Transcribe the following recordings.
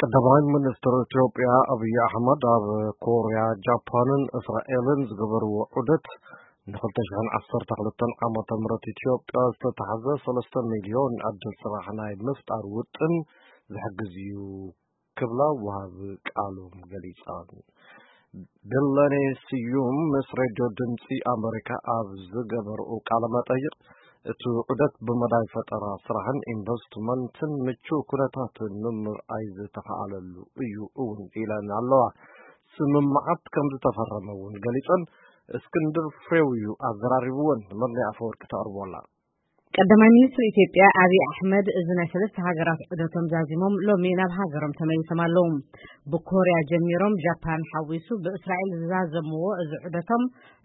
ቀዳማይ ሚኒስትር ኢትዮጵያ ኣብይ ኣሕመድ ኣብ ኮርያ፣ ጃፓንን እስራኤልን ዝገበርዎ ዑደት ንክልተ ሽሕን ዓሰርተ ክልተን ዓመተ ምህረት ኢትዮጵያ ዝተታሕዘ ሰለስተ ሚልዮን ዕድል ስራሕ ናይ ምፍጣር ውጥን ዝሕግዝ እዩ ክብላ ወሃቢ ቃሎም ገሊጸን። ብለኔ ስዩም ምስ ሬድዮ ድምፂ ኣመሪካ ኣብ ዝገበርኡ ቃለ መጠይቕ፣ እቲ ዑደት ብመዳይ ፈጠራ ስራሕን ኢንቨስትመንትን ምቹእ ኩነታትን ንምርኣይ ዝተኻኣለሉ እዩ እውን ኢለን ኣለዋ። ስምምዓት ከም ዝተፈረመ እውን ገሊፀን። እስክንድር ፍሬው እዩ ኣዘራሪብወን። መድለይ ኣፈወርቂ ተቕርቦላ። ቀዳማይ ሚኒስትር ኢትዮጵያ ኣብይ ኣሕመድ፣ እዚ ናይ ሰለስተ ሃገራት ዑደቶም ዛዚሞም ሎሚ ናብ ሃገሮም ተመሊሶም ኣለዉ። ብኮርያ ጀሚሮም ጃፓን ሓዊሱ ብእስራኤል ዝዛዘምዎ እዚ ዑደቶም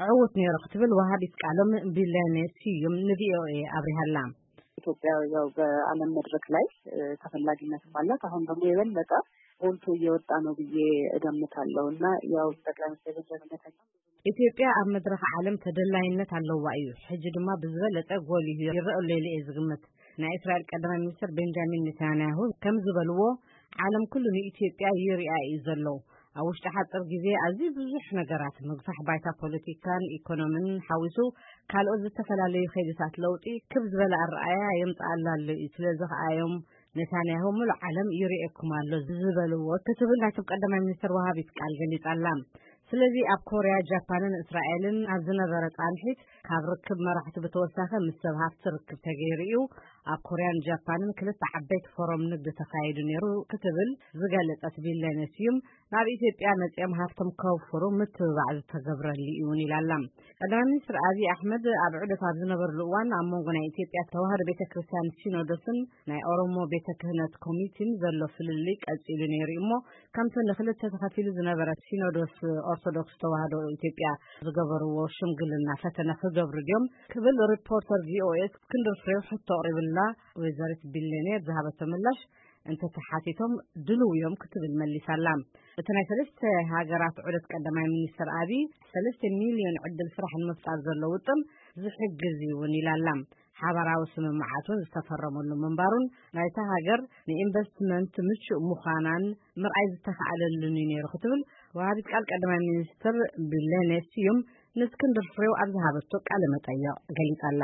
ዕዉት ነይሩ ክትብል ወሃቢት ቃሎም ቢለኔ ስዩም ንቪኦኤ ኣብሪሃላ። ኢትዮጵያ ያው በዓለም መድረክ ላይ ተፈላጊነትም አላት። አሁን ደግሞ የበለጠ ጎልቶ እየወጣ ነው ብዬ እገምታለሁ እና ያው ጠቅላይ ሚኒስትር ቤንጃሚን ኔታንያሁ ኢትዮጵያ ኣብ መድረኽ ዓለም ተደላይነት ኣለዋ እዩ። ሕጂ ድማ ብዝበለጸ ጎሊሁ ይረአ ኣሎ ኢለ እየ ዝግምት። ናይ እስራኤል ቀዳማይ ሚኒስትር ቤንጃሚን ኔታንያሁ ከም ዝበልዎ፣ ዓለም ኩሉ ንኢትዮጵያ ይሪኣ እዩ ዘሎ። ኣብ ውሽጢ ሓፂር ግዜ ኣዝዩ ብዙሕ ነገራት፣ ምግፋሕ ባይታ ፖለቲካን ኢኮኖሚን ሓዊሱ ካልኦት ዝተፈላለዩ ከይድታት ለውጢ ክብ ዝበለ ኣረኣያ የምፅኣላ ኣሎ እዩ። ስለዚ ከኣ እዮም ኔታንያሁ ምሉእ ዓለም ይርእየኩም ኣሎ ዝበልዎ ክትብል ናይቶም ቀዳማይ ሚኒስትር ወሃቢት ቃል ገሊጻ ኣላ። ስለዚ ኣብ ኮርያ፣ ጃፓንን እስራኤልን ኣብ ዝነበረ ጻንሒት ካብ ርክብ መራሕቲ ብተወሳኺ ምስ ሰብ ሃፍቲ ርክብ ተገይሩ እዩ። ኣብ ኮርያን ጃፓንን ክልተ ዓበይቲ ፎረም ንግዲ ተኻይዱ ነይሩ ክትብል ዝገለጸት ቢለኔ ስዩም፣ ናብ ኢትዮጵያ መጺኦም ሃፍቶም ከውፍሩ ምትብባዕ ዝተገብረሉ እዩ እውን ኢላ ኣላ። ቀዳማይ ሚኒስትር ኣብይ ኣሕመድ ኣብ ዑደት ኣብ ዝነበርሉ እዋን ኣብ መንጎ ናይ ኢትዮጵያ ተዋህዶ ቤተ ክርስቲያን ሲኖዶስን ናይ ኦሮሞ ቤተ ክህነት ኮሚቴን ዘሎ ፍልልይ ቀጺሉ ነይሩ እዩ እሞ፣ ከምቲ ንክልተ ተኸፊሉ ዝነበረ ሲኖዶስ ኦርቶዶክስ ተዋህዶ ኢትዮጵያ ዝገበርዎ ሽምግልና ፈተነ ክገብሩ ድዮም ክብል ሪፖርተር ቪኦኤ እስክንድር ፍሬው ሕቶ ኣቕሪብላ። ወይዘሪት ቢለኔ ዝሃበቶ ምላሽ እንተተሓቲቶም ድልው እዮም ክትብል መሊሳላ። እቲ ናይ ሰለስተ ሃገራት ዑደት ቀዳማይ ሚኒስትር ኣብይ ሰለስተ ሚልዮን ዕድል ስራሕ ንምፍጣር ዘሎ ውጥን ዝሕግዝ እዩ እውን ኢላላ። ሓባራዊ ስምምዓት እውን ዝተፈረመሉ ምንባሩን ናይታ ሃገር ንኢንቨስትመንት ምቹእ ምዃናን ምርኣይ ዝተኻኣለሉን እዩ ነይሩ ክትብል ወሃቢት ቃል ቀዳማይ ሚኒስትር ቢለኔ ስዩም ንእስክንድር ፍሬው ኣብ ዝሃበቶ ቃለ መጠይቕ ገሊጻላ።